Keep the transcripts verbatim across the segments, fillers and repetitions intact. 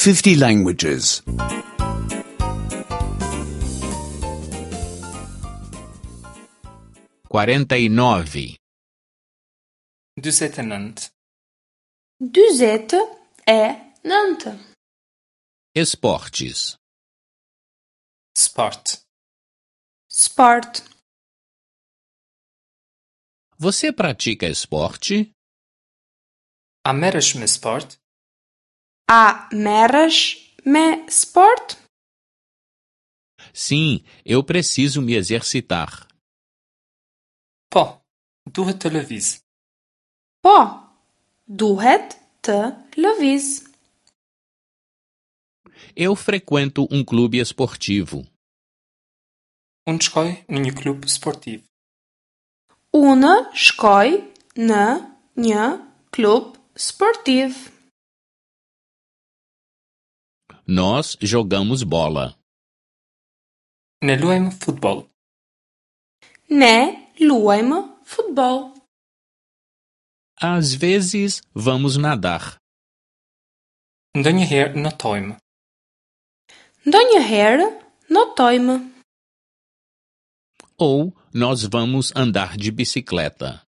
fifty languages. quarenta e nove, Dyzet e nëntë. Dyzet e nëntë. Esportes. Sport. Sport. Você pratica esporte? A merresh me sport? A merresh me sport? Sim, eu preciso me exercitar. Po, duhet të lëviz. Po, duhet të lëviz. Eu frequento um clube esportivo. Unë shkoj në një klub sportiv. Unë shkoj në një klub sportiv. Nós jogamos bola. Ne luajmë futboll. Ne luajmë futboll. Às vezes vamos nadar. Ndonjëherë notojmë. Ndonjëherë notojmë. Ou nós vamos andar de bicicleta.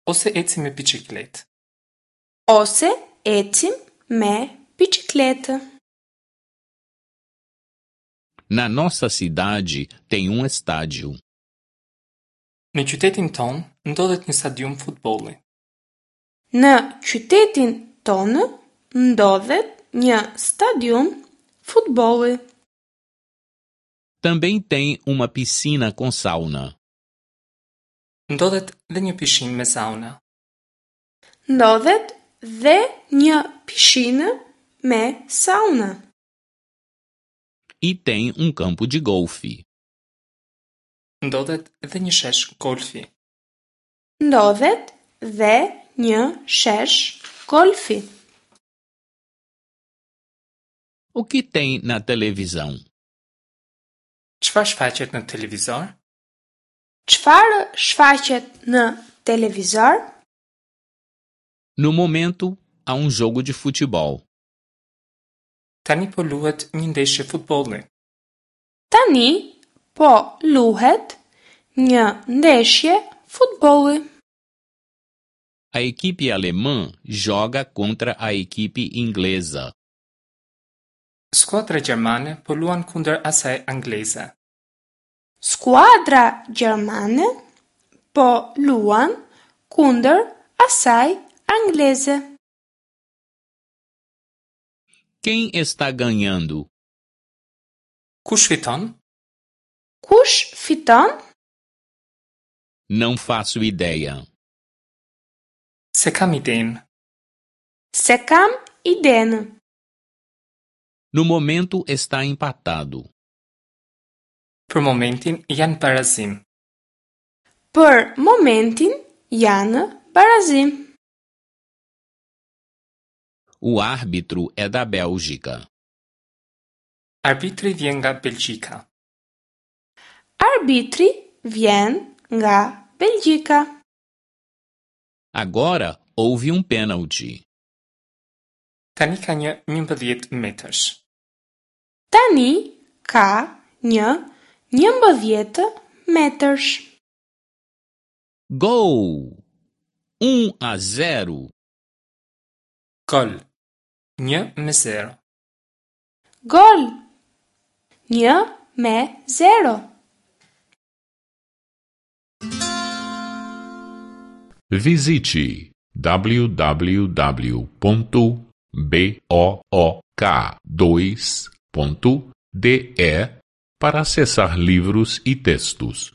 Ose ecim me biçikletë. Ose ecim me biçikletë. Na nossa cidade tem um estádio. Në qytetin tonë ndodhet një stadium futbolli. Në qytetin tonë ndodhet një stadium futbolli. Também tem uma piscina com sauna. Ndodhet dhe një pishinë me sauna. Ndodhet dhe një pishinë me sauna. E tem um campo de golfe. Ndodhet dhe një shesh golfi. Ndodhet dhe një shesh golfi. O que tem na televisão? Çfarë shfaqet në televizor? Çfarë shfaqet në televizor? No momento, há um jogo de futebol. Tani po luhet një ndeshje futbolli. Tani po luhet një ndeshje futbolli. A equipe alemã joga contra a equipe inglesa. Skuadra gjermane po luan kundër asaj angleze. Skuadra gjermane po luan kundër asaj angleze. Quem está ganhando? Kush fiton? Kush fiton? Não faço ideia. S'e kam idenë. S'e kam idenë. No momento está empatado. Për momentin janë barazim. Për momentin janë barazim. O árbitro é da Bélgica. Arbitri vjen nga Belgjika. Arbitri vjen nga Belgjika. Agora houve um pênalti. Tani ka një njëmbëdhjetë metërsh. Tani ka një njëmbëdhjetë metërsh. Gol! Um a zero. Gol. Një me zero. Gol. Një me zero. Visite w w w ponto b o o k dois ponto d e para acessar livros e textos.